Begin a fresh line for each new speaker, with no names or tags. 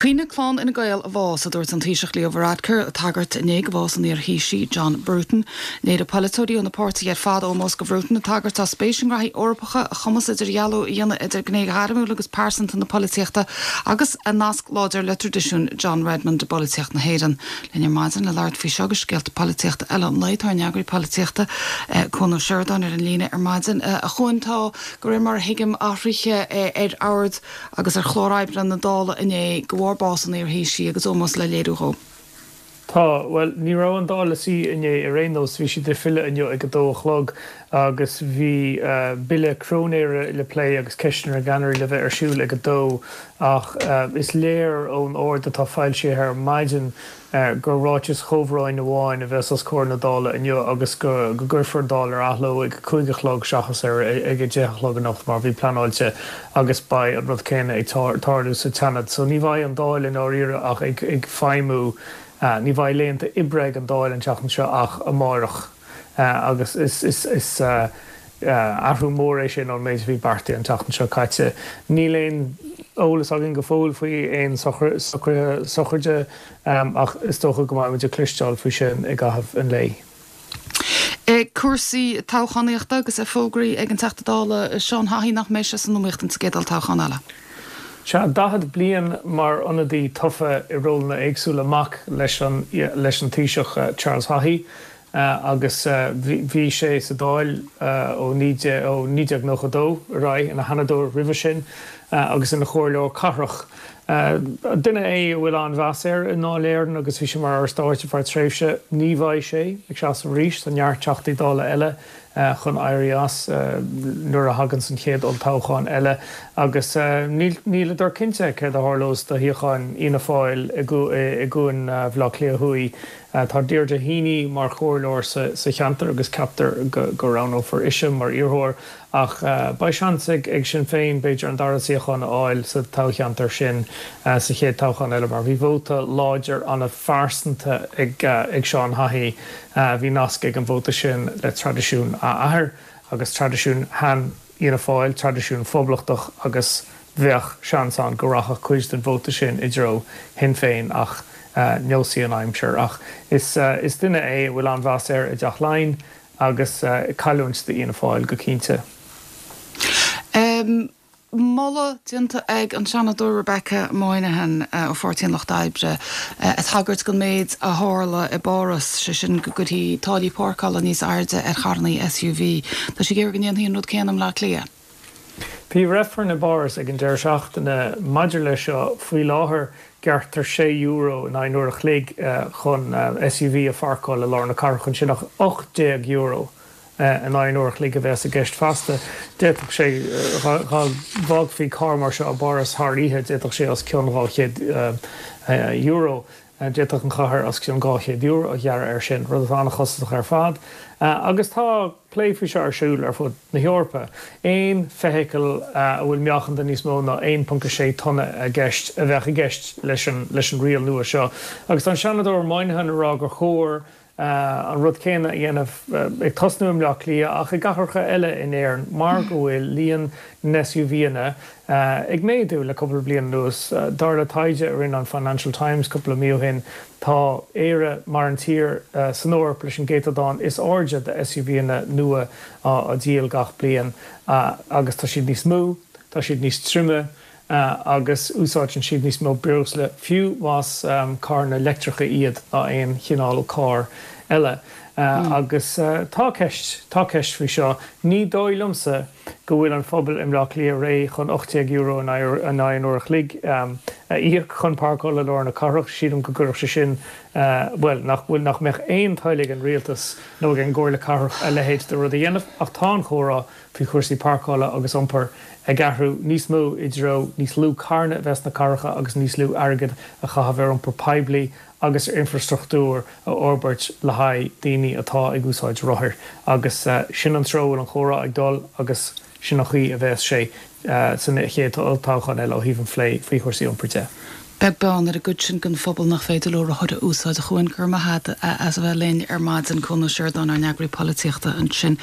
Caoineadh clann Fhine Gael a bhás, a dúirt an Taoiseach Leo Varadkar, ag tagairt inné do bhás an iar-Thaoisigh John Bruton. Léirigh polaiteoirí ó na páirtithe ar fad ómós do Bhruton, ag tagairt dá spéis i ngraithí Eorpacha, a chumas idirdhealú a dhéanamh idir gné ghairmiúil agus pearsanta na polaitíochta agus a nasc láidir le traidisiún John Redmond i bpolaitíocht na hÉireann. Linn ar maidin le labhairt faoi seo agus scéalta polaitíochta eile an lae, tá ár n-eagraí polaitíochta, Cuan Ó Seireadáin ar an líne ar maidin. A Chuain, tá, de réir mar a thuigim, athruithe ar ord agus ar chlár oibre na Dála inné de bharr bás an iar-Thaoisigh agus ómós le léiriú dhó.
Tá, bhuel, ní raibh an Dáil ina suí inné ar aon nós, bhí siad ag filleadh inniu ag a dó a chlog agus bhí bille cróinéara le plé agus ceisteanna na gceannairí le bheith ar siúl ag a dó ach is léir ón ord atá foilsithe ar maidin gur ráiteas chomhbhróin amháin a bheas os comhair na Dála inniu agus go gcuirfear an Dáil ar athló ag a 5 a chlog seachas ar ag 10 a chlog anocht mar a bhí pleanáilte agus beidh an rud céanna ag tarlú sa tSeanad. So ní bheidh an Dáil i ndáiríre ach ag feidhmiú, ní bheidh laethanta oibre ag an Dáil an tseachtain seo ach amáireach agus is athrú mór é sin ón méid a bhí beartaithe an tseachtain seo caite. Níl aon eolas againn go fóill faoi aon socruithe sochraide ach is dócha go mbeidh muid ag cloisteáil faoi sin i gcaitheamh an lae.
Cúrsaí toghchánaíochta agus é fógraithe ag an Teachta Dála Seán Haughey nach mbeidh sé san iomaíocht insa gcéad olltoghchán eile.
Sea, 40 bliain mar ionadaí tofa i rólanna éagsúla, mac leis an leis an Taoiseach Charles Haughey, agus bhí sé sa Dáil ó 1992 ar aghaidh, ina sheanadóir roimhe sin agus ina chomhairleoir cathrach. Duine é a bhfuil an-mheas air i nDáil Éireann agus bhí sé mar Aire Stáit ar feadh tréimhse. Ní bheidh sé ag seasamh arís. Tá neart Teachtaí Dála eile chun éirí as nuair a thaganns an chéad olltoghchán eile agus níleadar cinnte céard a tharlós do shuíochán Fhianna Fáil i gCuan Bhaile Átha Cliath Thuaidh. Tá Deirdre Heaney mar chomhairleoir sa cheantar agus ceaptar go roghnófar ise mar iarrthóir ach beidh seans ag Sinn Féin b'fhéidir an dara suíochán a fháil sa toghcheantar sin sa chéad toghchán eile mar bhí vóta láidir an-phearsanta ag Seán Haughey. Bhí nasc ag an vóta sin le traidisiún a athar agus traidisiún shean Fhianna Fáil, traidisiún phoblachtach agus bheadh seans ann go rachadh cuid den vóta sin i dtreo Shinn Féin ach neosfaidh an aimsir. Ach is duine é a bhfuil an-mheas air i dTeach Laighean agus cailliúint do Fhianna Fáil go cinnte.
Moladh déanta ag an Seanadóir Rebecca Moynihan ó Pháirtí an Lucht Oibre ag tagairt don méid a tharla i bPáras, sé sin go gcuirfí táillí páirceála níos airde ar charrannaí SUV. Tá sí ag iarraidh go ndéanfaí an rud céanna i mBleá Cliath.
Bhí reifreann i bPáras ag an deireadh seachtaine maidir leis seo. Faoi láthair, gearrtar €6 in aghaidh an uair a chloig chun SUV a pháirceáil i lár na cathrach ansin, ach €18 in aghaidh an uair a chloig a bheas i gceist feasta. D'fhéadfadh sé, dá bhfágfaí carr mar seo i bPáras thar oíche, d'fhéadfadh sé os cionn €200, d'fhéadfadh an chathair os cionn €200 a ghearradh air sin, rud atá an-chostasach ar fad. Agus tá plé faoi seo ar siúl ar fud na hEorpa. Aon feithicil a bhfuil meáchan de níos mó ná 1.6 tonna i gceist a bheadh i gceist leis an riail nua seo. Agus tá an Seanadóir Moynihan ag rá gur chóir an rud céanna a dhéanamh, ag tosnú i mBleá Cliath ach i gcathracha eile in Éirinn mar go bhfuil líon na SUVanna ag méadú le cúpla bliain anuas. Dar le taighde a rinne an Financial Times cúpla mí ó shin, tá Éire mar an tír san Eoraip leis an gcéatadán is airde de SUVanna nua á dhíol gach bliain agus tá siad níos mó, tá siad níos troime, agus úsáideann siad níos mó breosla, fiú más carranna leictreacha iad, ná aon chineál carr eile. Agus tá ceist, tá ceist faoi seo. Ní dóigh liomsa go bhfuil an phobal i mBleá Cliath réidh chun €18 in aghaidh an uair a chloig a íoc chun páirceáil i lár na cathrach. Sílim go gcuirfeadh sé sin, bhuel, nach bhfuil, nach mbeadh aon toil ag an rialtas nó ag an gComhairle Cathrach a leithéid de rud a dhéanamh. Ach tá an chomhrá faoi chúrsaí páirceála agus iompair ag athrú níos mó i dtreo níos lú carranna a bheith sna cathracha agus níos lú airgid a chaitheamh ar iompar poiblí agus ar infreastruchtúr a fhorbairt le haghaidh daoine atá ag úsáid rothair. Agus sin an treo a bhfuil an chomhrá ag dul agus sin an chaoi a bheas sé san chéad olltoghchán eile ó thaobh an phlé faoi chúrsaí iompair de.
Beag beann ar an gcuid sin den phobal nach féidir leo rothair a úsáid. A Chuain, go raibh maith agat as a bheith linn ar maidin. Cuan Ó Seireadáin, ár n-eagraí polaitíochta ansin.